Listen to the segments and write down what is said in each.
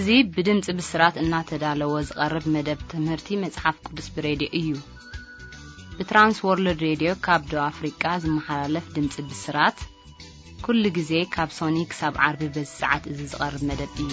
እዚ ብድምፂ ብስራት እናተዳለወ ዝቐርብ መደብ ትምህርቲ መጽሓፍ ቅዱስ ብሬድዮ እዩ። ብትራንስ ወርልድ ሬድዮ ካብ ደቡብ ኣፍሪቃ ዝመሓላለፍ ድምፂ ብስራት፣ ኩሉ ግዜ ካብ ሶኒ ክሳብ ዓርቢ በዚ ሰዓት እዚ ዝቐርብ መደብ እዩ።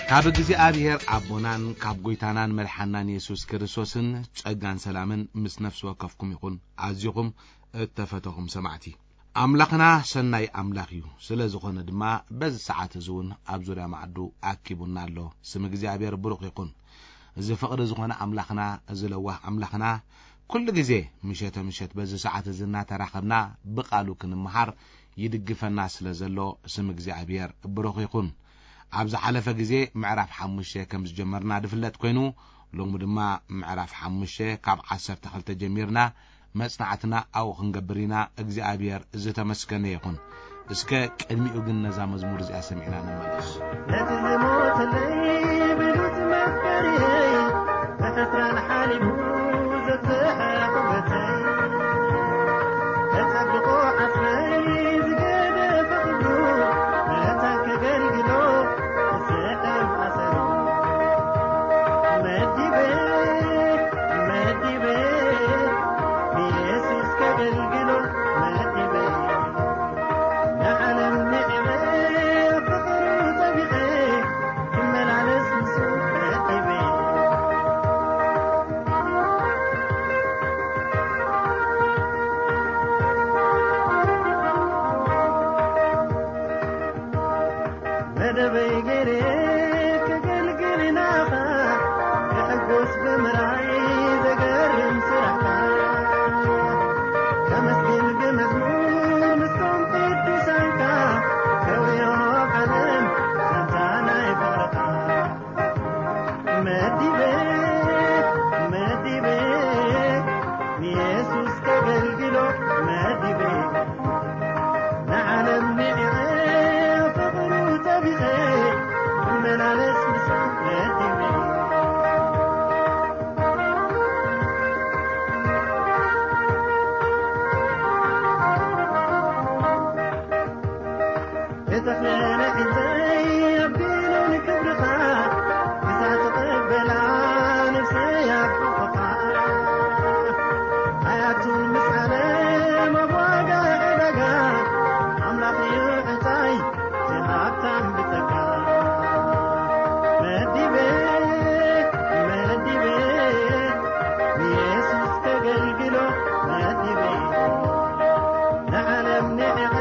ካብ እግዚኣብሔር ኣቦናን ካብ ጐይታናን መድሓናን የሱስ ክርስቶስን ጸጋን ሰላምን ምስ ነፍሲ ወከፍኩም ይኹን። ኣዚኹም እተፈተኹም ሰማዕቲ፣ ኣምላኽና ሰናይ ኣምላኽ እዩ። ስለ ዝኾነ ድማ በዚ ሰዓት እዚ እውን ኣብ ዙርያ ማዕዱ ኣኪቡና ኣሎ። ስም እግዚኣብሔር ብሩኽ ይኹን። እዚ ፍቕሪ ዝኾነ ኣምላኽና፣ እዚ ለዋህ ኣምላኽና፣ ኩሉ ግዜ ምሸተ ምሸት በዚ ሰዓት እዚ እናተራኸብና ብቓሉ ክንመሃር ይድግፈና ስለ ዘሎ ስም እግዚኣብሔር ብሩኽ ይኹን። ኣብ ዝሓለፈ ግዜ ምዕራፍ ሓሙሽተ ከም ዝጀመርና ዝፍለጥ ኮይኑ፣ ሎሚ ድማ ምዕራፍ ሓሙሽተ ካብ ዓሰርተ ክልተ ጀሚርና መጽናዕትና ኣብኡ ክንገብር ኢና። እግዚኣብሔር ዝተመስገነ ይኹን። እስከ ቅድሚኡ ግን ነዛ መዝሙር እዚኣ ሰሚዕና ንመለስ። ነቲ ዝሞተለይ ብሉጽ መፍቀሪየይ፣ ብሕስራን ሓሊፉ ዘብዝሐ ክብረተይ፣ ተጸብቆ ዓስበይ ዝገደፈ ክብሩ፣ መታን ከገልግሎ ክስዕም ኣሰሩ። መዲበ፣ መዲበ፣ ንየሱስ ከገልግሎ መዲበ። ንዓለም ንዕቐ ፍቕሩ ጠቢቐ ክመላለስ ምስኡ መዲበ። መደበይ ገይረ ከገልግል ናኻ፣ ክሕጎስ ብምርኣይ ዘገርም ስራሕካ። ከመስግን ብመዝሙር ምስቶም ቅዱሳንካ፣ ከውዮ ዓለም ዛንታ ናይ ፍቕርኻ። መዲበ፣ መዲበ፣ ንየሱስ ከገልግሎ መዲበ። ንዓለም ንዕቐ ፍቕሩ ጠቢቐ፣ ክመላለስ ምስኡ መዲበ። እተኽለ ንዕንተይ ኣቢሉ ንክብርኻ፣ እዛ ትቕበላ ነፍሰይ ኣብ ሕቑኻ። ኣያቱን ምስ ዓለም ኣብ ዋጋ ዕዳጋ፣ ኣምላኽ እዩ ዕንታይ እቲ ሃብታም ብጸጋ። መዲበ፣ መዲበ፣ ንየሱስ ከገልግሎ መዲበ። ንዓለም ንዕቐ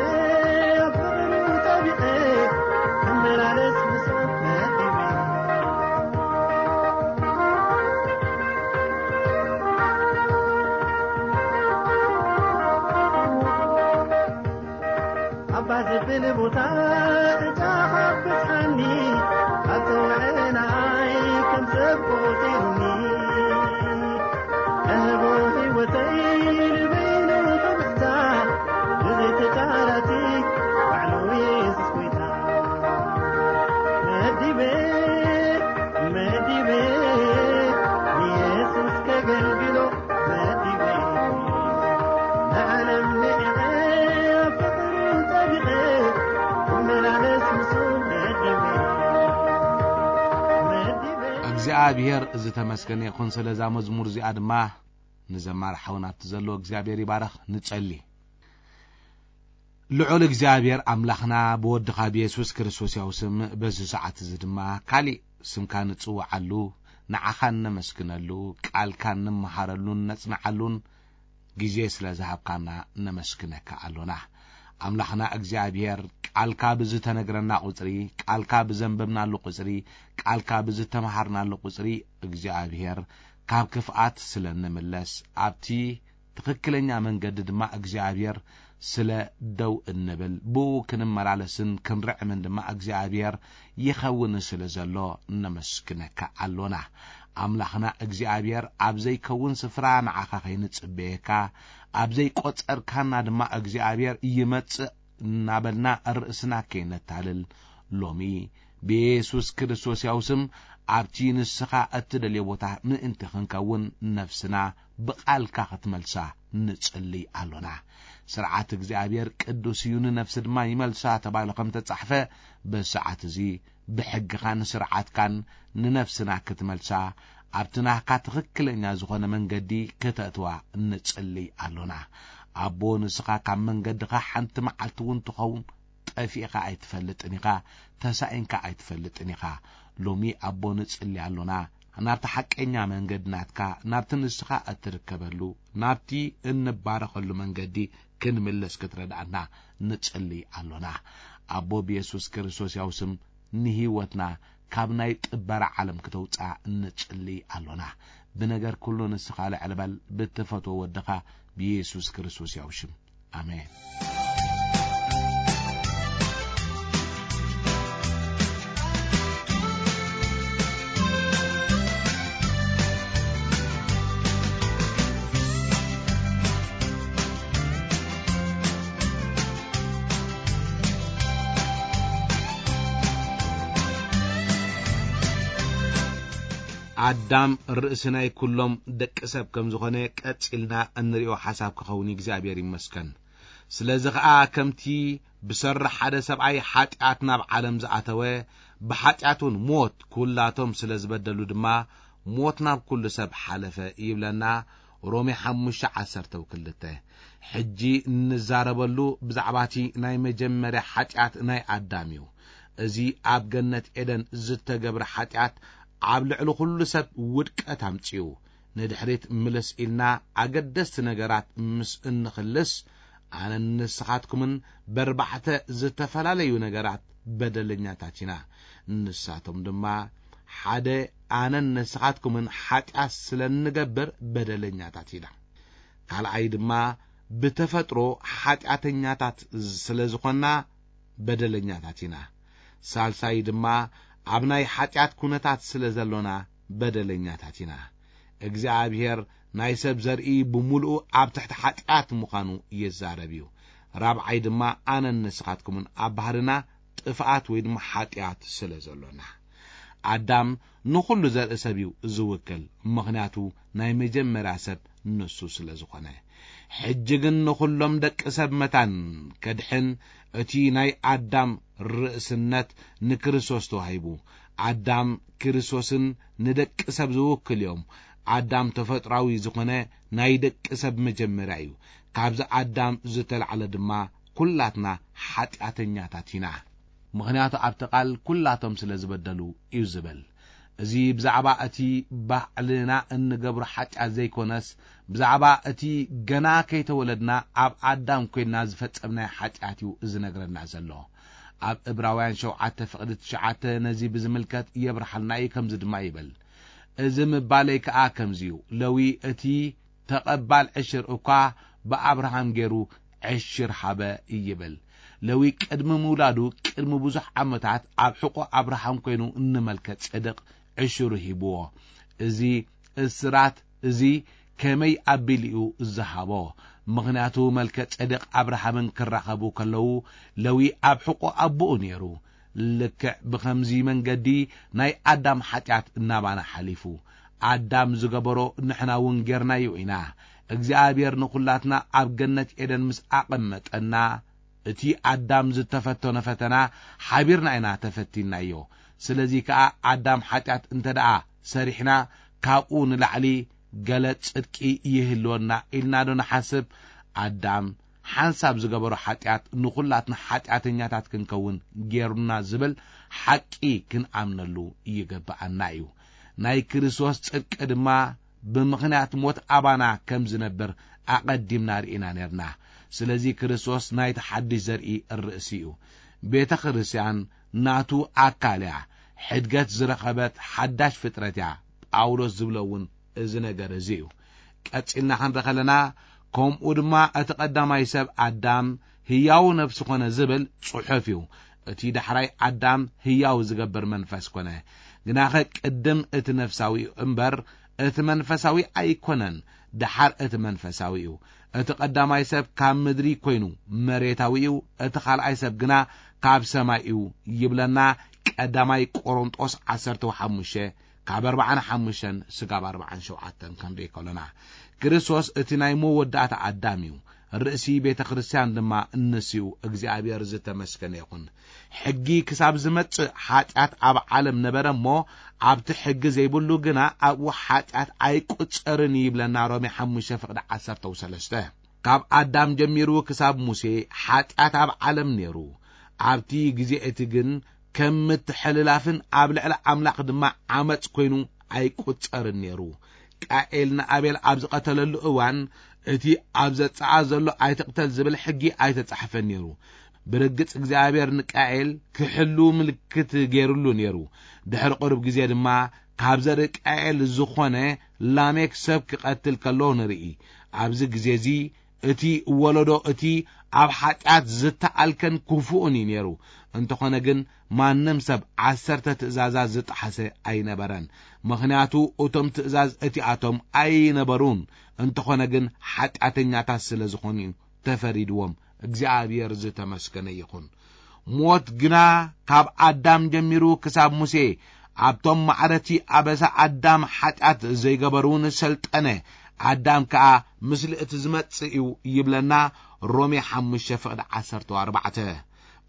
ኣብ ፍቕሩ ጠቢቐ፣ ክመላለስ ምስኡ መዲበ። ኣባ ዘብል ቦታ ዕጫኻ ብጽሓኒ፣ ኣጸውዐናይ ከም ሰብ ቆጺሩኒ። እህቦ ህይወተይ ንበይኑ ክብሕታ፣ ብዘይ ተጫራቲ ባዕሉ የሱስ ጎይታ። መዲበ፣ መዲበ፣ ንየሱስ ከገልግሎ መዲበ። ንዓለም ንዕቐ ኣብ ፍቕሩ ጠቢቐ፣ ክመላለስ ምስኡ መዲበ። መዲበ። እግዚኣብሔር ዝተመስገነ ይኹን። ስለዛ መዝሙር እዚኣ ድማ ንዘማሪ ሓውና ኣብቲ ዘሎ እግዚኣብሔር ይባረኽ። ንጸሊ። ልዑል እግዚኣብሔር ኣምላኽና ብወድኻ ብየሱስ ክርስቶስ ያው ስም በዚ ሰዓት እዚ ድማ ካሊእ ስምካ ንጽውዓሉ፣ ንዓኻ እነመስግነሉ፣ ቃልካ እንመሃረሉን ነጽንዓሉን ግዜ ስለ ዝሃብካና ነመስግነካ ኣሎና። ኣምላኽና እግዚኣብሔር ቃልካ ብዝተነግረና ቁጽሪ፣ ቃልካ ብዘንበብናሉ ቁጽሪ፣ ቃልካ ብዝተመሃርናሉ ቁጽሪ እግዚኣብሔር ካብ ክፍኣት ስለ እንምለስ ኣብቲ ትኽክለኛ መንገዲ ድማ እግዚኣብሔር ስለ ደው እንብል፣ ብኡ ክንመላለስን ክንርዕምን ድማ እግዚኣብሔር ይኸውን ስለ ዘሎ ነመስግነካ ኣሎና። ኣምላኽና እግዚኣብሔር ኣብ ዘይከውን ስፍራ ንዓኻ ከይንጽበየካ፣ ኣብ ዘይቆጸርካና ድማ እግዚኣብሔር ይመጽእ እናበልና ርእስና ከይነታልል ሎሚ ብየሱስ ክርስቶስ ያው ስም ኣብቲ ንስኻ እትደልዮ ቦታ ምእንቲ ክንከውን ነፍስና ብቓልካ ክትመልሳ ንጽልይ ኣሎና። ስርዓት እግዚኣብሔር ቅዱስ እዩ፣ ንነፍሲ ድማ ይመልሳ ተባሂሉ ከም ተጻሕፈ፣ በሰዓት እዚ ብሕግኻን ስርዓትካን ንነፍስና ክትመልሳ፣ ኣብቲ ናህካ ትኽክለኛ ዝኾነ መንገዲ ክተእትዋ ንጽልይ ኣሎና። ኣቦ፣ ንስኻ ካብ መንገድኻ ሓንቲ መዓልቲ እውን ትኸውን ጠፊእኻ ኣይትፈልጥን ኢኻ፣ ተሳኢንካ ኣይትፈልጥን ኢኻ። ሎሚ ኣቦ ንጽሊ ኣሎና፣ ናብቲ ሓቀኛ መንገዲ ናትካ፣ ናብቲ ንስኻ እትርከበሉ፣ ናብቲ እንባረኸሉ መንገዲ ክንምለስ ክትረድኣና ንጽሊ ኣሎና። ኣቦ ብየሱስ ክርስቶስ ያው ስም ንህይወትና ካብ ናይ ጥበራ ዓለም ክተውፅኣ ንጽሊ ኣሎና። ብነገር ኩሉ ንስኻ ልዕል በል፣ ብትፈትዎ ወድኻ ብየሱስ ክርስቶስ ያው ሽም። ኣሜን። ኣዳም ርእሲ ናይ ኩሎም ደቂ ሰብ ከም ዝኾነ ቀጺልና እንሪኦ ሓሳብ ክኸውን እዩ። እግዚኣብሔር ይመስገን። ስለዚ ኸኣ ከምቲ ብሰሪ ሓደ ሰብኣይ ሓጢኣት ናብ ዓለም ዝኣተወ፣ ብሓጢኣት እውን ሞት፣ ኩላቶም ስለ ዝበደሉ ድማ ሞት ናብ ኩሉ ሰብ ሓለፈ ይብለና ሮሜ ሓሙሽተ ዓሰርተ ክልተ። ሕጂ እንዛረበሉ ብዛዕባ እቲ ናይ መጀመርያ ሓጢኣት ናይ ኣዳም እዩ። እዚ ኣብ ገነት ኤደን ዝተገብረ ሓጢኣት ኣብ ልዕሊ ኩሉ ሰብ ውድቀት ኣምጺኡ። ንድሕሪት ምልስ ኢልና ኣገደስቲ ነገራት ምስ እንኽልስ፣ ኣነን ንስኻትኩምን በርባዕተ ዝተፈላለዩ ነገራት በደለኛታት ኢና። ንሳቶም ድማ፣ ሓደ፣ ኣነን ንስኻትኩምን ሓጢኣት ስለ እንገብር በደለኛታት ኢና። ካልኣይ ድማ፣ ብተፈጥሮ ሓጢኣተኛታት ስለ ዝኾንና በደለኛታት ኢና። ሳልሳይ ድማ፣ ኣብ ናይ ሓጢኣት ኩነታት ስለ ዘሎና በደለኛታት ኢና። እግዚኣብሔር ናይ ሰብ ዘርኢ ብምሉኡ ኣብ ትሕቲ ሓጢኣት ምዃኑ ይዛረብ እዩ። ራብዓይ ድማ፣ ኣነን ንስኻትኩምን ኣብ ባህርና ጥፍኣት ወይ ድማ ሓጢኣት ስለ ዘሎና። ኣዳም ንኹሉ ዘርኢ ሰብ እዩ ዝውክል፣ ምኽንያቱ ናይ መጀመርያ ሰብ ንሱ ስለ ዝኾነ። ሕጂ ግን ንኹሎም ደቂ ሰብ መታን ከድሕን እቲ ናይ ኣዳም ርእስነት ንክርስቶስ ተዋሂቡ። ኣዳም ክርስቶስን ንደቂ ሰብ ዝውክል እዮም። ኣዳም ተፈጥራዊ ዝኾነ ናይ ደቂ ሰብ መጀመርያ እዩ። ካብዚ ኣዳም ዝተላዕለ ድማ ኩላትና ሓጢኣተኛታት ኢና። ምኽንያቱ ኣብቲ ቃል ኩላቶም ስለ ዝበደሉ እዩ ዝብል። እዚ ብዛዕባ እቲ ባዕልና እንገብሮ ሓጢኣት ዘይኮነስ፣ ብዛዕባ እቲ ገና ከይተወለድና ኣብ ኣዳም ኮይንና ዝፈጸምናዮ ሓጢኣት እዩ ዝነግረና ዘሎ። ኣብ ዕብራውያን ሸውዓተ ፍቕዲ ትሽዓተ ነዚ ብዝምልከት የብርሃልና እዩ፣ ከምዚ ድማ ይብል፣ "እዚ ምባለይ ከኣ ከምዚ እዩ፣ ለዊ እቲ ተቐባል ዕሽር እኳ ብኣብርሃም ገይሩ ዕሽር ሃበ" ይብል። ለዊ ቅድሚ ምውላዱ ቅድሚ ብዙሕ ዓመታት ኣብ ሕቖ ኣብርሃም ኮይኑ ንመልከ ጼዴቅ ዕሽሩ ሂብዎ። እዚ እስራት እዚ ከመይ ኣቢሉ እዩ ዝሃቦ? ምኽንያቱ መልከ ጼዴቅ ኣብርሃምን ክራኸቡ ከለዉ ለዊ ኣብ ሕቖ ኣቦኡ ነይሩ። ልክዕ ብኸምዚ መንገዲ ናይ ኣዳም ሓጢኣት እናባና ሓሊፉ። ኣዳም ዝገበሮ ንሕና እውን ጌርናዮ ኢና። እግዚኣብሔር ንኹላትና ኣብ ገነት ኤደን ምስ ኣቐመጠና፣ እቲ ኣዳም ዝተፈተኖ ፈተና ሓቢርና ኢና ተፈቲንናዮ። ስለዚ ከኣ ኣዳም ሓጢኣት እንተ ደኣ ሰሪሕና፣ ካብኡ ንላዕሊ ገለ ጽድቂ ይህልወና ኢልና ዶ ንሓስብ? ኣዳም ሓንሳብ ዝገበሮ ሓጢኣት ንኹላትና ሓጢኣተኛታት ክንከውን ጌሩና ዝብል ሓቂ ክንኣምነሉ ይግብኣና እዩ። ናይ ክርስቶስ ጽድቂ ድማ ብምኽንያት ሞት ኣባና ከም ዝነብር ኣቐዲምና ርኢና ኔርና። ስለዚ ክርስቶስ ናይቲ ሓድሽ ዘርኢ ርእሲ እዩ። ቤተ ክርስቲያን ናቱ ኣካል እያ። ሕድገት ዝረኸበት ሓዳሽ ፍጥረት እያ። ጳውሎስ ዝብሎ እውን እዚ ነገር እዚ እዩ። ቀጺልና ክንርኢ ከለና፣ ከምኡ ድማ እቲ ቀዳማይ ሰብ ኣዳም ህያው ነፍሲ ኮነ ዝብል ጽሑፍ እዩ። እቲ ዳሕራይ ኣዳም ህያው ዝገብር መንፈስ ኮነ። ግናኸ ቅድም እቲ ነፍሳዊ እዩ እምበር፣ እቲ መንፈሳዊ ኣይኮነን፣ ደሓር እቲ መንፈሳዊ እዩ። እቲ ቀዳማይ ሰብ ካብ ምድሪ ኮይኑ መሬታዊ እዩ፣ እቲ ካልኣይ ሰብ ግና ካብ ሰማይ እዩ ይብለና። ቀዳማይ ቆሮንጦስ ዓሰርተ ሓሙሽተ ካብ ኣርባዓን ሓሙሽተን ስጋብ ኣርባዓን ሸውዓተን ክንርኢ ከሎና፣ ክርስቶስ እቲ ናይ መወዳእታ ኣዳም እዩ። ርእሲ ቤተ ክርስቲያን ድማ ንሱ እዩ። እግዚኣብሔር ዝተመስገነ ይኹን። ሕጊ ክሳብ ዝመጽእ ሓጢኣት ኣብ ዓለም ነበረ እሞ፣ ኣብቲ ሕጊ ዘይብሉ ግና ኣብኡ ሓጢኣት ኣይቁጸርን ይብለና ሮሜ ሓሙሽተ ፍቕዲ ዓሰርተ ሰለስተ። ካብ ኣዳም ጀሚሩ ክሳብ ሙሴ ሓጢኣት ኣብ ዓለም ነይሩ። ኣብቲ ግዜ እቲ ግን ከም ምትሕልላፍን ኣብ ልዕሊ ኣምላኽ ድማ ዓመጽ ኮይኑ ኣይቁጸርን ነይሩ። ቃኤል ንኣቤል ኣብ ዝቐተለሉ እዋን፣ እቲ ኣብ ዘጻኣ ዘሎ ኣይትቕተል ዝብል ሕጊ ኣይተጻሕፈን ነይሩ። ብርግጽ እግዚኣብሔር ንቃኤል ክሕሉ ምልክት ገይሩሉ ነይሩ። ድሕሪ ቁሩብ ግዜ ድማ ካብ ዘርኢ ቃኤል ዝኾነ ላሜክ ሰብ ክቐትል ከሎ ንርኢ። ኣብዚ ግዜ እዚ እቲ ወለዶ እቲ ኣብ ሓጢኣት ዝተኣልከን ክፉእን እዩ ነይሩ። እንተኾነ ግን ማንም ሰብ ዓሰርተ ትእዛዛት ዝጠሓሰ ኣይነበረን። ምኽንያቱ እቶም ትእዛዝ እቲኣቶም ኣይነበሩን። እንተኾነ ግን ሓጢኣተኛታት ስለ ዝኾኑ እዩ ተፈሪድዎም። እግዚኣብሔር ዝተመስገነ ይኹን። ሞት ግና ካብ ኣዳም ጀሚሩ ክሳብ ሙሴ ኣብቶም ማዕረቲ ኣበሳ ኣዳም ሓጢኣት ዘይገበሩ ንሰልጠነ። ኣዳም ከኣ ምስሊ እቲ ዝመጽእ እዩ ይብለና ሮሜ ሓሙሽተ ፍቕዲ ዓሰርተ ኣርባዕተ።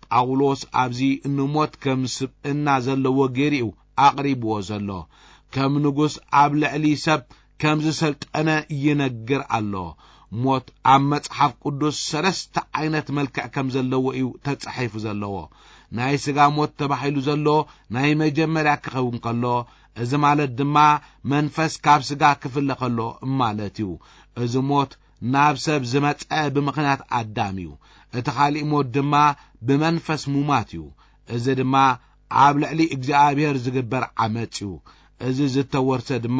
ጳውሎስ ኣብዚ ንሞት ከም ስብእና ዘለዎ ገይሩ እዩ ኣቕሪብዎ ዘሎ። ከም ንጉስ ኣብ ልዕሊ ሰብ ከም ዝሰልጠነ ይነግር ኣሎ። ሞት ኣብ መጽሓፍ ቅዱስ ሰለስተ ዓይነት መልክዕ ከም ዘለዎ እዩ ተጻሒፉ ዘለዎ። ናይ ስጋ ሞት ተባሂሉ ዘሎ ናይ መጀመርያ ክኸውን ከሎ፣ እዚ ማለት ድማ መንፈስ ካብ ስጋ ክፍለ ከሎ ማለት እዩ። እዚ ሞት ናብ ሰብ ዝመጸ ብምኽንያት ኣዳም እዩ። እቲ ካሊእ ሞት ድማ ብመንፈስ ሙማት እዩ። እዚ ድማ ኣብ ልዕሊ እግዚኣብሔር ዝግበር ዓመጽ እዩ። እዚ ዝተወርሰ ድማ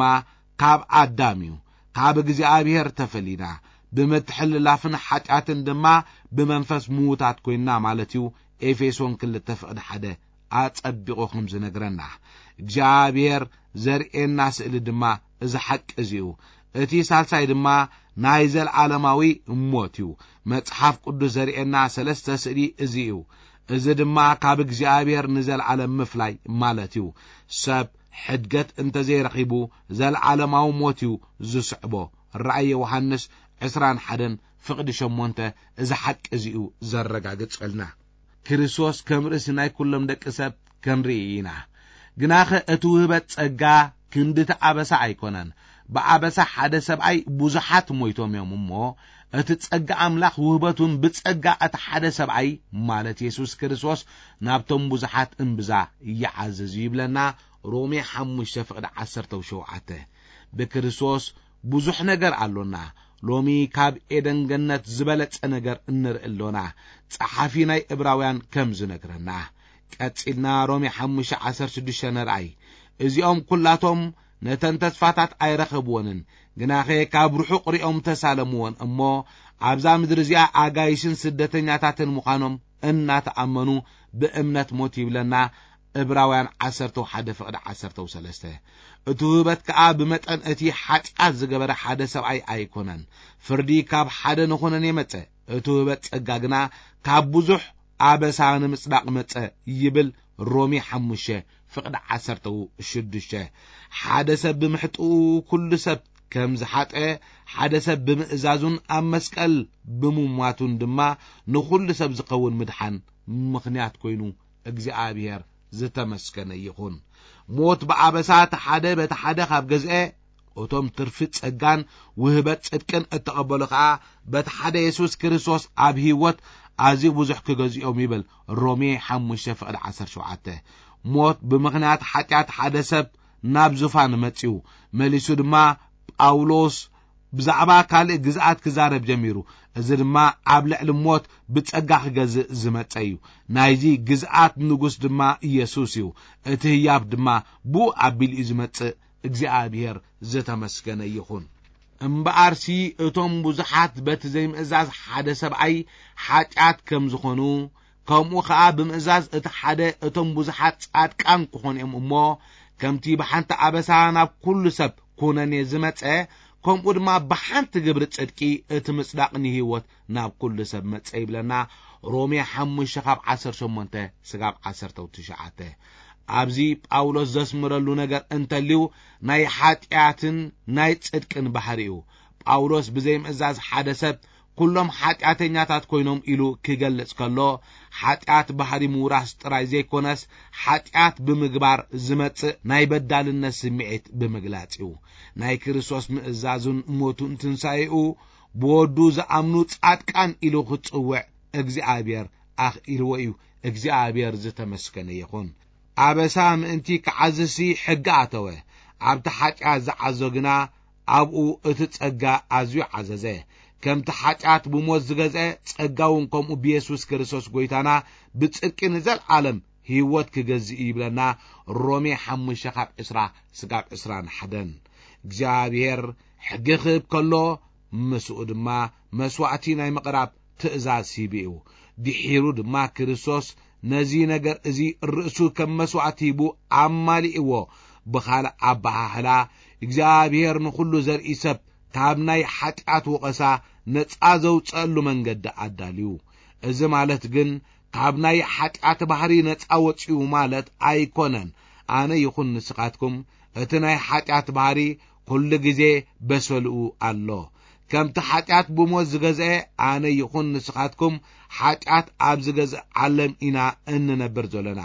ካብ ኣዳም እዩ። ካብ እግዚኣብሔር ተፈሊና፣ ብምትሕልላፍን ሓጢኣትን ድማ ብመንፈስ ምዉታት ኮይንና ማለት እዩ። ኤፌሶን ክልተ ፍቕዲ ሓደ ኣጸቢቑ ከም ዝነግረና፣ እግዚኣብሔር ዘርእየና ስእሊ ድማ እዚ ሓቂ እዚ እዩ። እቲ ሳልሳይ ድማ ናይ ዘለዓለማዊ ሞት እዩ። መጽሓፍ ቅዱስ ዘርእየና ሰለስተ ስእሊ እዚ እዩ። እዚ ድማ ካብ እግዚኣብሔር ንዘለዓለም ምፍላይ ማለት እዩ። ሰብ ሕድገት እንተዘይረኺቡ፣ ዘለዓለማዊ ሞት እዩ ዝስዕቦ። ራእይ ዮሃንስ ዕስራን ሓደን ፍቕዲ ሸሞንተ እዚ ሓቂ እዚ እዩ ዘረጋግጸልና። ክርስቶስ ከም ርእሲ ናይ ኩሎም ደቂ ሰብ ክንርኢ ኢና። ግናኸ እቲ ውህበት ጸጋ ክንድቲ ኣበሳ ኣይኮነን። ብኣበሳ ሓደ ሰብኣይ ብዙሓት ሞይቶም እዮም እሞ፣ እቲ ጸጋ ኣምላኽ ውህበት እውን ብጸጋ እቲ ሓደ ሰብኣይ፣ ማለት የሱስ ክርስቶስ፣ ናብቶም ብዙሓት እምብዛ ይዓዝዝ እዩ ይብለና ሮሜ ሓሙሽተ ፍቕዲ ዓሰርተ ሸውዓተ። ብክርስቶስ ብዙሕ ነገር ኣሎና። ሎሚ ካብ ኤደን ገነት ዝበለጸ ነገር እንርኢ ኣሎና፣ ጸሓፊ ናይ ዕብራውያን ከም ዝነግረና። ቀጺልና ሮሜ ሓሙሽተ ዓሰርተ ሽዱሽተ ንርኣይ። እዚኦም ኩላቶም ነተን ተስፋታት ኣይረኸብወንን፣ ግናኸ ካብ ርሑቕ ሪኦም ተሳለምወን እሞ፣ ኣብዛ ምድሪ እዚኣ ኣጋይሽን ስደተኛታትን ምዃኖም እናተኣመኑ ብእምነት ሞት ይብለና። ዕብራውያን ዓሰርተ ሓደ ፍቕዲ ዓሰርተ ሰለስተ። እቲ ውህበት ከኣ ብመጠን እቲ ሓጢኣት ዝገበረ ሓደ ሰብኣይ ኣይኮነን። ፍርዲ ካብ ሓደ ንኹነን የመጸ። እቲ ውህበት ጸጋ ግና ካብ ብዙሕ ኣበሳ ንምጽዳቕ መጸ ይብል ሮሜ ሓሙሽተ ፍቕዲ ዓሰርተ ሽዱሽተ። ሓደ ሰብ ብምሕጥኡ ኩሉ ሰብ ከም ዝሓጠ፣ ሓደ ሰብ ብምእዛዙን ኣብ መስቀል ብምሟቱን ድማ ንኹሉ ሰብ ዝኸውን ምድሓን ምኽንያት ኮይኑ እግዚኣብሔር ዝተመስገነ ይኹን። ሞት ብኣበሳ እቲ ሓደ በቲ ሓደ ካብ ገዝአ፣ እቶም ትርፊ ጸጋን ውህበት ጽድቅን እተቐበሉ ኸኣ በቲ ሓደ የሱስ ክርስቶስ ኣብ ህይወት ኣዝዩ ብዙሕ ክገዝኦም ይብል ሮሜ ሓሙሽተ ፍቕዲ ዓሰርተ ሸውዓተ። ሞት ብምኽንያት ሓጢኣት ሓደ ሰብ ናብ ዙፋን መጺኡ፣ መሊሱ ድማ ጳውሎስ ብዛዕባ ካልእ ግዝኣት ክዛረብ ጀሚሩ። እዚ ድማ ኣብ ልዕሊ ሞት ብጸጋ ክገዝእ ዝመጸ እዩ። ናይዚ ግዝኣት ንጉስ ድማ ኢየሱስ እዩ። እቲ ህያብ ድማ ብኡ ኣቢሉ እዩ ዝመጽእ። እግዚኣብሔር ዝተመስገነ ይኹን። እምበኣርሲ እቶም ብዙሓት በቲ ዘይምእዛዝ ሓደ ሰብኣይ ሓጢኣት ከም ዝኾኑ፣ ከምኡ ኸኣ ብምእዛዝ እቲ ሓደ እቶም ብዙሓት ጻድቃን ክኾኑ እዮም እሞ፣ ከምቲ ብሓንቲ ኣበሳ ናብ ኩሉ ሰብ ኩነኔ ዝመጸ፣ ከምኡ ድማ ብሓንቲ ግብሪ ጽድቂ እቲ ምጽዳቕ ንህይወት ናብ ኩሉ ሰብ መጸ ይብለና። ሮሜ ሓሙሽተ ካብ ዓሰርተ ሸሞንተ ስጋብ ዓሰርተ ትሽዓተ። ኣብዚ ጳውሎስ ዘስምረሉ ነገር እንተልዩ ናይ ሓጢኣትን ናይ ጽድቅን ባህሪ እዩ። ጳውሎስ ብዘይምእዛዝ ሓደ ሰብ ኩሎም ሓጢኣተኛታት ኮይኖም ኢሉ ክገልጽ ከሎ፣ ሓጢኣት ባህሪ ምውራስ ጥራይ ዘይኮነስ፣ ሓጢኣት ብምግባር ዝመጽእ ናይ በዳልነት ስምዒት ብምግላጽ እዩ። ናይ ክርስቶስ ምእዛዙን ሞቱን ትንሳኤኡ ብወዱ ዝኣምኑ ጻድቃን ኢሉ ክጽውዕ እግዚኣብሔር ኣኽኢልዎ እዩ። እግዚኣብሔር ዝተመስገነ ይኹን። ኣበሳ ምእንቲ ክዓዝሲ ሕጊ ኣተወ። ኣብቲ ሓጢኣት ዝዓዞ ግና ኣብኡ እቲ ጸጋ ኣዝዩ ዓዘዘ። ከምቲ ሓጢኣት ብሞት ዝገዝአ፣ ጸጋ እውን ከምኡ ብየሱስ ክርስቶስ ጐይታና ብጽድቂ ንዘለዓለም ህይወት ክገዝእ እዩ ይብለና። ሮሜ ሓሙሽተ ካብ ዕስራ ስጋብ ዕስራን ሓደን። እግዚኣብሔር ሕጊ ክህብ ከሎ፣ ምስኡ ድማ መስዋዕቲ ናይ ምቕራብ ትእዛዝ ሂቡ እዩ። ድሒሩ ድማ ክርስቶስ ነዚ ነገር እዚ ርእሱ ከም መስዋዕቲ ሂቡ ኣማሊእዎ። ብኻልእ ኣበሃህላ፣ እግዚኣብሔር ንኹሉ ዘርኢ ሰብ ካብ ናይ ሓጢኣት ወቐሳ ነጻ ዘውጸአሉ መንገዲ ኣዳልዩ። እዚ ማለት ግን ካብ ናይ ሓጢኣት ባህሪ ነጻ ወጺኡ ማለት ኣይኮነን። ኣነ ይኹን ንስኻትኩም እቲ ናይ ሓጢኣት ባህሪ ኩሉ ግዜ በሰልኡ ኣሎ። ከምቲ ሓጢኣት ብሞት ዝገዝአ፣ ኣነ ይኹን ንስኻትኩም ሓጢኣት ኣብ ዝገዝእ ዓለም ኢና እንነብር ዘለና።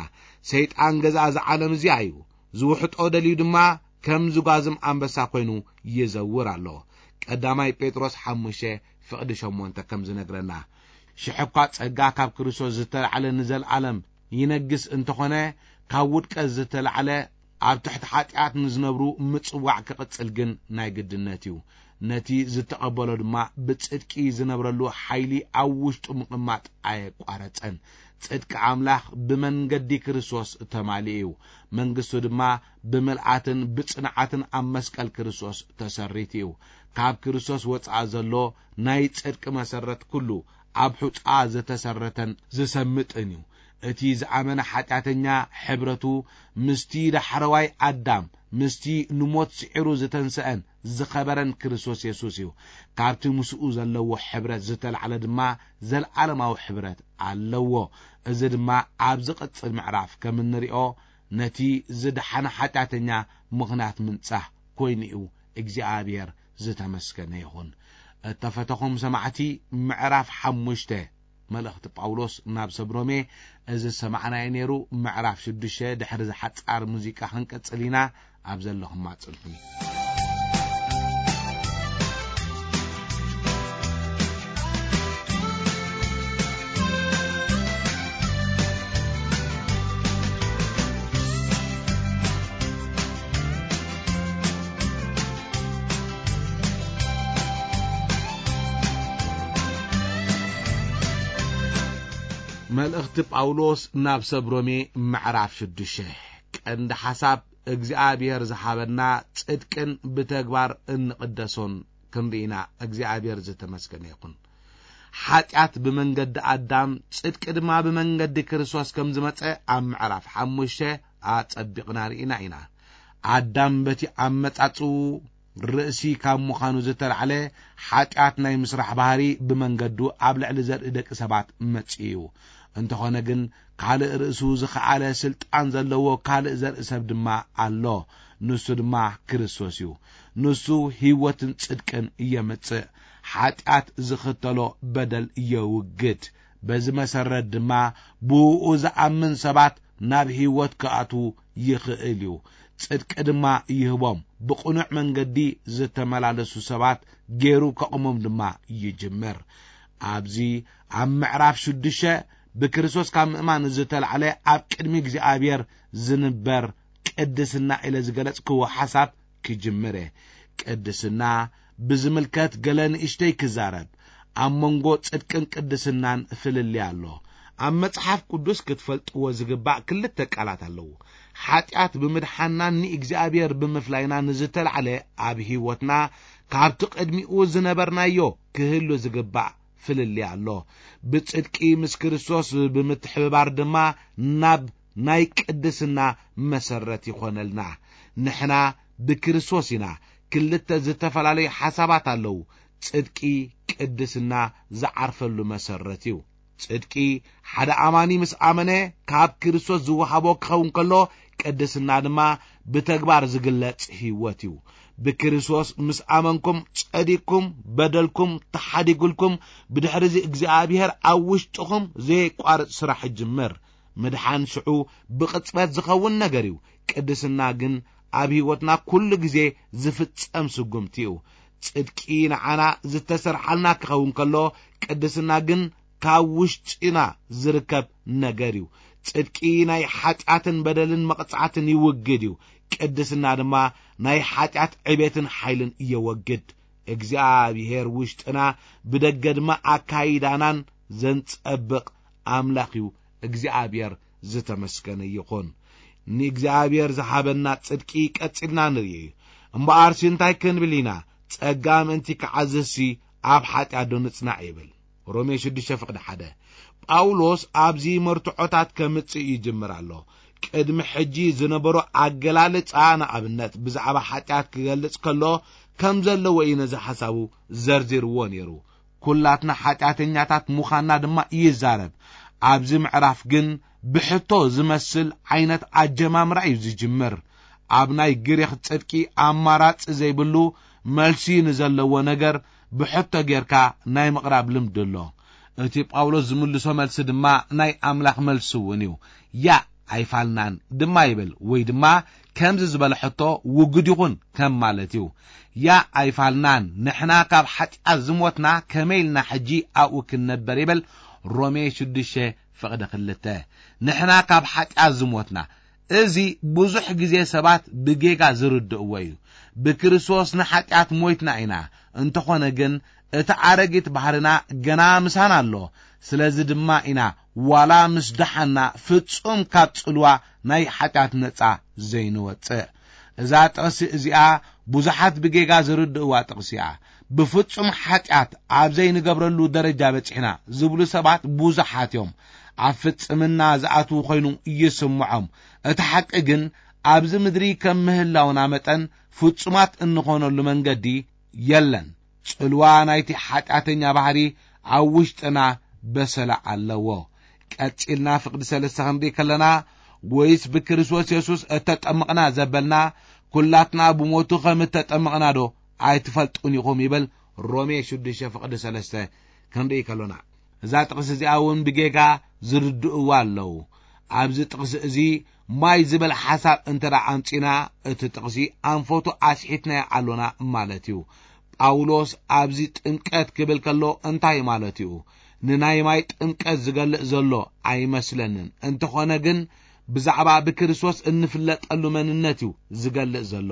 ሰይጣን ገዛ እዚ ዓለም እዚኣ እዩ። ዝውሕጦ ደልዩ ድማ ከም ዝጓዝም ኣንበሳ ኮይኑ ይዘውር ኣሎ። ቀዳማይ ጴጥሮስ ሓሙሽተ ፍቕዲ ሸሞንተ ከም ዝነግረና፣ ሽሕ እኳ ጸጋ ካብ ክርስቶስ ዝተላዕለ ንዘለዓለም ይነግስ እንተኾነ፣ ካብ ውድቀት ዝተላዕለ ኣብ ትሕቲ ሓጢኣት ንዝነብሩ ምጽዋዕ ክቕጽል ግን ናይ ግድነት እዩ። ነቲ ዝተቐበሎ ድማ ብጽድቂ ዝነብረሉ ሓይሊ ኣብ ውሽጡ ምቕማጥ ኣየቋረጸን። ጽድቂ ኣምላኽ ብመንገዲ ክርስቶስ ተማሊኡ እዩ። መንግስቱ ድማ ብምልኣትን ብጽንዓትን ኣብ መስቀል ክርስቶስ ተሰሪቱ እዩ። ካብ ክርስቶስ ወጻኢ ዘሎ ናይ ጽድቂ መሰረት ኩሉ ኣብ ሑጻ ዝተሰረተን ዝሰምጥን እዩ። እቲ ዝኣመነ ሓጢኣተኛ ሕብረቱ ምስቲ ዳሕረዋይ ኣዳም፣ ምስቲ ንሞት ስዒሩ ዝተንስአን ዝኸበረን ክርስቶስ የሱስ እዩ። ካብቲ ምስኡ ዘለዎ ሕብረት ዝተላዕለ ድማ ዘለዓለማዊ ሕብረት ኣለዎ። እዚ ድማ ኣብ ዝቕጽል ምዕራፍ ከም እንሪኦ ነቲ ዝደሓነ ሓጢኣተኛ ምኽንያት ምንጻህ ኮይኑ እዩ። እግዚኣብሔር ዝተመስገነ ይኹን። እተፈተኹም ሰማዕቲ፣ ምዕራፍ ሓሙሽተ መልእኽቲ ጳውሎስ ናብ ሰብ ሮሜ እዚ ዝሰማዕናዮ ነይሩ። ምዕራፍ ሽዱሽተ ድሕሪ እዚ ሓጻር ሙዚቃ ክንቅጽል ኢና። ኣብ ዘለኹም ኣጽንሑ። መልእኽቲ ጳውሎስ ናብ ሰብ ሮሜ ምዕራፍ ሽዱሽተ። ቀንዲ ሓሳብ እግዚኣብሔር ዝሃበና ጽድቅን ብተግባር እንቕደሶን ክንርኢና እግዚኣብሔር ዝተመስገነ ይኹን። ሓጢኣት ብመንገዲ ኣዳም፣ ጽድቂ ድማ ብመንገዲ ክርስቶስ ከም ዝመጸ ኣብ ምዕራፍ ሓሙሽተ ኣጸቢቕና ርኢና ኢና። ኣዳም በቲ ኣመጻጽኡ ርእሲ ካብ ምዃኑ ዝተላዕለ ሓጢኣት ናይ ምስራሕ ባህሪ ብመንገዱ ኣብ ልዕሊ ዘርኢ ደቂ ሰባት መጺኡ እዩ። እንተኾነ ግን ካልእ ርእሱ ዝኸኣለ ስልጣን ዘለዎ ካልእ ዘርኢ ሰብ ድማ ኣሎ። ንሱ ድማ ክርስቶስ እዩ። ንሱ ህይወትን ጽድቅን የምጽእ። ሓጢኣት ዝኽተሎ በደል የውግድ። በዚ መሰረት ድማ ብእኡ ዝኣምን ሰባት ናብ ህይወት ክኣትዉ ይኽእል እዩ። ጽድቂ ድማ ይህቦም። ብቕኑዕ መንገዲ ዝተመላለሱ ሰባት ገይሩ ከቑሞም ድማ ይጅምር። ኣብዚ ኣብ ምዕራፍ ሽዱሽተ ብክርስቶስ ካብ ምእማን ዝተላዕለ ኣብ ቅድሚ እግዚኣብሔር ዝንበር ቅድስና ኢለ ዝገለጽክዎ ሓሳብ ክጅምር እየ። ቅድስና ብዝምልከት ገለ ንእሽተይ ክዛረብ። ኣብ መንጎ ጽድቅን ቅድስናን ፍልልይ ኣሎ። ኣብ መጽሓፍ ቅዱስ ክትፈልጥዎ ዝግባእ ክልተ ቃላት ኣለዉ። ሓጢኣት ብምድሓናን ንእግዚኣብሔር ብምፍላይና ንዝተላዕለ ኣብ ህይወትና ካብቲ ቅድሚኡ ዝነበርናዮ ክህሉ ዝግባእ ፍልልይ ኣሎ። ብጽድቂ ምስ ክርስቶስ ብምትሕብባር ድማ ናብ ናይ ቅድስና መሰረት ይኾነልና። ንሕና ብክርስቶስ ኢና ክልተ ዝተፈላለዩ ሓሳባት ኣለዉ። ጽድቂ ቅድስና ዝዓርፈሉ መሰረት እዩ። ጽድቂ ሓደ ኣማኒ ምስ ኣመነ ካብ ክርስቶስ ዝወሃቦ ክኸውን ከሎ፣ ቅድስና ድማ ብተግባር ዝግለጽ ህይወት እዩ። ብክርስቶስ ምስ ኣመንኩም ጸዲቅኩም፣ በደልኩም ተሓዲጉልኩም፣ ብድሕሪዚ እግዚኣብሔር ኣብ ውሽጥኹም ዘየቋርጽ ስራሕ ይጅምር። ምድሓን ሽዑ ብቕጽበት ዝኸውን ነገር እዩ። ቅድስና ግን ኣብ ህይወትና ኩሉ ግዜ ዝፍጸም ስጉምቲ እዩ። ጽድቂ ንዓና ዝተሰርሓልና ክኸውን ከሎ፣ ቅድስና ግን ካብ ውሽጥና ዝርከብ ነገር እዩ። ጽድቂ ናይ ሓጢኣትን በደልን መቕጻዕትን ይውግድ እዩ። ቅድስና ድማ ናይ ሓጢኣት ዕቤትን ሓይልን እየወግድ። እግዚኣብሔር ውሽጥና ብደገ ድማ ኣካይዳናን ዘንጸብቕ ኣምላኽ እዩ። እግዚኣብሔር ዝተመስገነ ይኹን። ንእግዚኣብሔር ዝሃበና ጽድቂ ቀጺልና ንርኢ እዩ። እምበኣርሲ እንታይ ክንብል ኢና? ጸጋ ምእንቲ ክዓዝዝሲ ኣብ ሓጢኣት ዶ ንጽናዕ ይብል። ሮሜ ሽዱሽተ ፍቕዲ ሓደ። ጳውሎስ ኣብዚ መርትዖታት ከምጽእ ይጅምር ኣሎ። ቅድሚ ሕጂ ዝነበሮ ኣገላልጻ ንኣብነት ብዛዕባ ሓጢኣት ክገልጽ ከሎ ከም ዘለዎ እዩ ነዚ ሓሳቡ ዘርዚርዎ ነይሩ። ኩላትና ሓጢኣተኛታት ምዃንና ድማ ይዛረብ። ኣብዚ ምዕራፍ ግን ብሕቶ ዝመስል ዓይነት ኣጀማምራ እዩ ዝጅምር። ኣብ ናይ ግሪኽ ጽድቂ ኣማራጺ ዘይብሉ መልሲ ንዘለዎ ነገር ብሕቶ ጌርካ ናይ ምቕራብ ልምዲ ኣሎ። እቲ ጳውሎስ ዝምልሶ መልሲ ድማ ናይ ኣምላኽ መልሲ እውን እዩ። ያ ኣይፋልናን ድማ ይብል፣ ወይ ድማ ከምዚ ዝበለ ሕቶ ውጉድ ይኹን ከም ማለት እዩ። ያ ኣይፋልናን፣ ንሕና ካብ ሓጢኣት ዝሞትና ከመይ ኢልና ሕጂ ኣብኡ ክንነበር ይብል። ሮሜ ሽዱሽተ ፍቕዲ ክልተ። ንሕና ካብ ሓጢኣት ዝሞትና፣ እዚ ብዙሕ ግዜ ሰባት ብጌጋ ዝርድእዎ እዩ። ብክርስቶስ ንሓጢኣት ሞይትና ኢና፣ እንተኾነ ግን እቲ ኣረጊት ባህርና ገና ምሳና ኣሎ። ስለዚ ድማ ኢና ዋላ ምስ ደሓና ፍጹም ካብ ጽልዋ ናይ ሓጢኣት ነጻ ዘይንወጽእ። እዛ ጥቕሲ እዚኣ ብዙሓት ብጌጋ ዝርድእዋ ጥቕሲ እያ። ብፍጹም ሓጢኣት ኣብ ዘይንገብረሉ ደረጃ በጺሕና ዝብሉ ሰባት ብዙሓት እዮም። ኣብ ፍጽምና ዝኣትዉ ኮይኑ ይስምዖም። እቲ ሓቂ ግን ኣብዚ ምድሪ ከም ምህላውና መጠን ፍጹማት እንኾነሉ መንገዲ የለን። ጽልዋ ናይቲ ሓጢኣተኛ ባህሪ ኣብ ውሽጥና በሰላ ኣለዎ። ቀጺልና ፍቕዲ ሰለስተ ክንርኢ ከለና፣ ወይስ ብክርስቶስ የሱስ እተጠምቕና ዘበልና፣ ኩላትና ብሞቱ ከም እተጠምቕና ዶ ኣይትፈልጡን ኢኹም? ይብል ሮሜ ሽዱሽተ ፍቕዲ ሰለስተ ክንርኢ ከሎና። እዛ ጥቕሲ እዚኣ እውን ብጌጋ ዝርድእዋ ኣለዉ። ኣብዚ ጥቕሲ እዚ ማይ ዝበል ሓሳብ እንተ ደኣ ኣምጺና፣ እቲ ጥቕሲ ኣንፈቱ ኣስሒትናዮ ኣሎና ማለት እዩ። ጳውሎስ ኣብዚ ጥምቀት ክብል ከሎ እንታይ ማለት እዩ? ንናይ ማይ ጥምቀት ዝገልጽ ዘሎ ኣይመስለንን። እንተኾነ ግን ብዛዕባ ብክርስቶስ እንፍለጠሉ መንነት እዩ ዝገልጽ ዘሎ።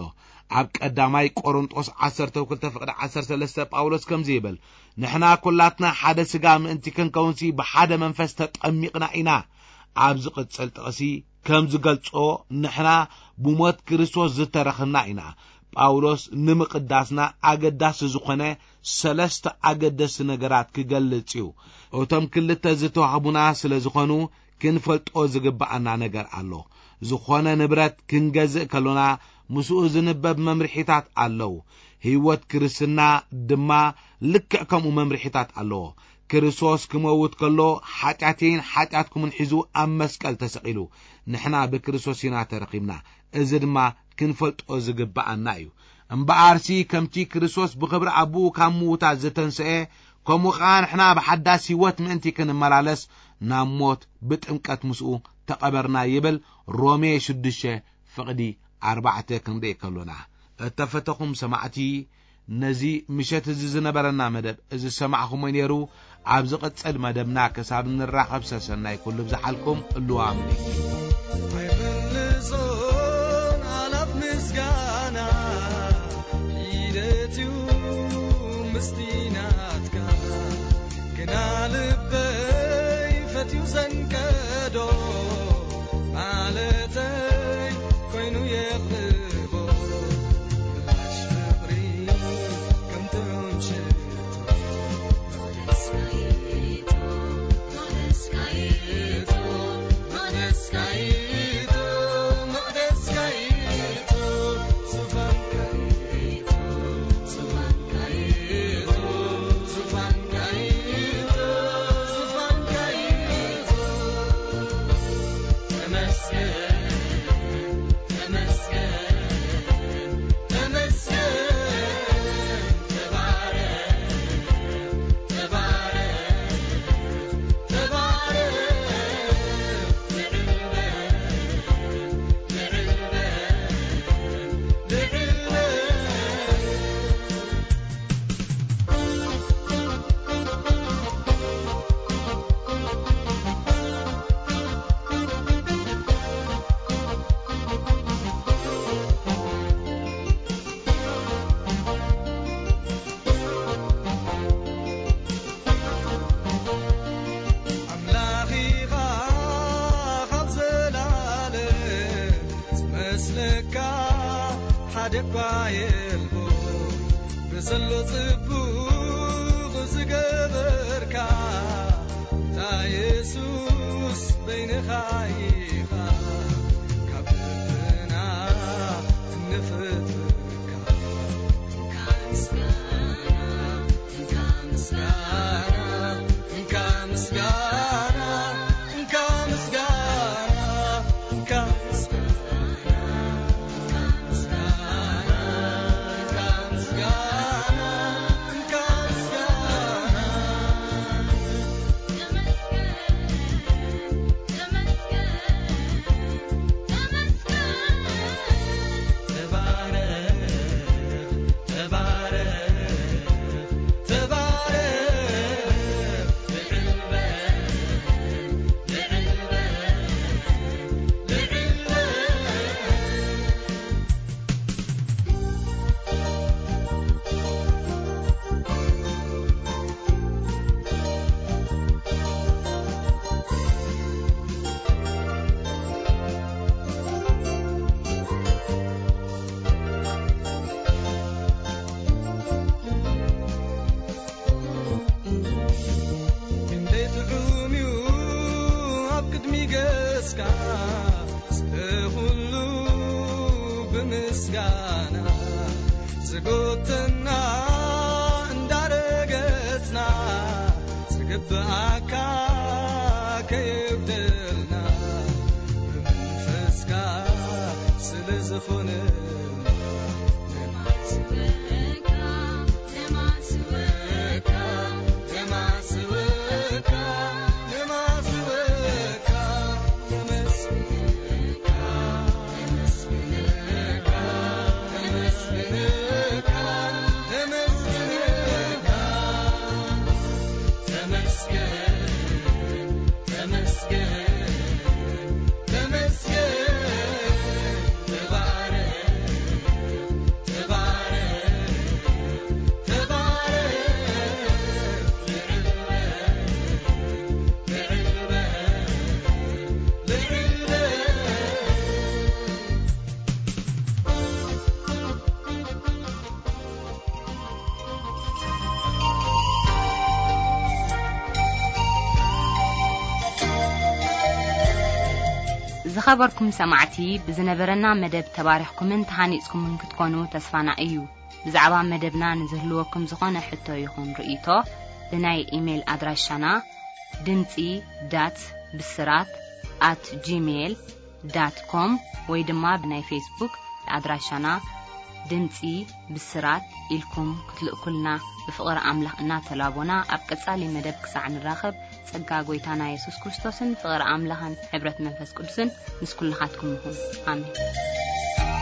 ኣብ ቀዳማይ ቆሮንጦስ ዓሰርተ ክልተ ፍቕዲ ዓሰርተ ሰለስተ ጳውሎስ ከምዚ ይብል፣ "ንሕና ኩላትና ሓደ ስጋ ምእንቲ ክንከውንሲ ብሓደ መንፈስ ተጠሚቕና ኢና።" ኣብ ዝቕጽል ጥቕሲ ከም ዝገልጾ፣ ንሕና ብሞት ክርስቶስ ዝተረኽና ኢና። ጳውሎስ ንምቕዳስና ኣገዳሲ ዝኾነ ሰለስተ ኣገደስቲ ነገራት ክገልጽ እዩ። እቶም ክልተ ዝተዋህቡና ስለ ዝኾኑ፣ ክንፈልጦ ዝግብኣና ነገር ኣሎ። ዝኾነ ንብረት ክንገዝእ ከሎና፣ ምስኡ ዝንበብ መምርሒታት ኣለዉ። ህይወት ክርስትና ድማ ልክዕ ከምኡ መምርሒታት ኣለዎ። ክርስቶስ ክመውት ከሎ፣ ሓጢኣተይን ሓጢኣትኩምን ሒዙ ኣብ መስቀል ተሰቒሉ። ንሕና ብክርስቶስ ኢና ተረኺብና። እዚ ድማ ክንፈልጦ ዝግብኣና እዩ። እምበኣርሲ፣ ከምቲ ክርስቶስ ብኽብሪ ኣቦኡ ካብ ምዉታት ዝተንስኤ፣ ከምኡ ኸኣ ንሕና ብሓዳስ ህይወት ምእንቲ ክንመላለስ፣ ናብ ሞት ብጥምቀት ምስኡ ተቐበርና ይብል። ሮሜ ሽዱሽተ ፍቕዲ ኣርባዕተ ክንርኢ ከሎና። እተፈተኹም ሰማዕቲ፣ ነዚ ምሸት እዚ ዝነበረና መደብ እዚ ዝሰማዕኹሞ ነይሩ። ኣብ ዝቕጽል መደብና ክሳብ ንራኸብ ሰሰናይ ኩሉ ብዝሓልኩም እልዋም። ኣይምልሶን ኣላፍ ምስጋና ኢደትዩ ምስቲ ናትካ ግና ልበይ ፈትዩ ዘንቀዶ ማለተይ ኮይኑ የቕርቦ ምላሽ ፍቕሪ ከም ጥዑም ሽቶ። ኣምላኺኻ ካብ ዘላለም ዝመስለካ ሓደ እኳ የልቦ። ብዘሎ ጽቡቕ ዝገበርካ፣ እታ የሱስ በይንኻ ኢኻ፣ ካብ ልብና እንፍትካ። ክንደይ ጥዑም እዩ ኣብ ቅድሚ ገጽካ፣ ስለ ኩሉ ብምስጋና ዝጎተና እንዳረገጽና፣ ዝግብኣካ ከየጉደልና፣ ብመንፈስካ ስለ ዝኾነልና። ዝኸበርኩም ሰማዕቲ፣ ብዝነበረና መደብ ተባሪኽኩምን ተሃኒጽኩምን ክትኮኑ ተስፋና እዩ። ብዛዕባ መደብና ንዝህልወኩም ዝኾነ ሕቶ ይኹን ርእይቶ፣ ብናይ ኢሜይል ኣድራሻና ድምጺ ዳት ብስራት ኣት ጂሜይል ዳት ኮም ወይ ድማ ብናይ ፌስቡክ ኣድራሻና ድምጺ ብስራት ኢልኩም ክትልእኩልና ብፍቕሪ ኣምላኽ እናተላቦና፣ ኣብ ቀጻሊ መደብ ክሳዕ ንራኸብ፣ ጸጋ ጐይታና የሱስ ክርስቶስን ፍቕሪ ኣምላኽን ሕብረት መንፈስ ቅዱስን ምስ ኩልኻትኩም ይኹን። ኣሜን።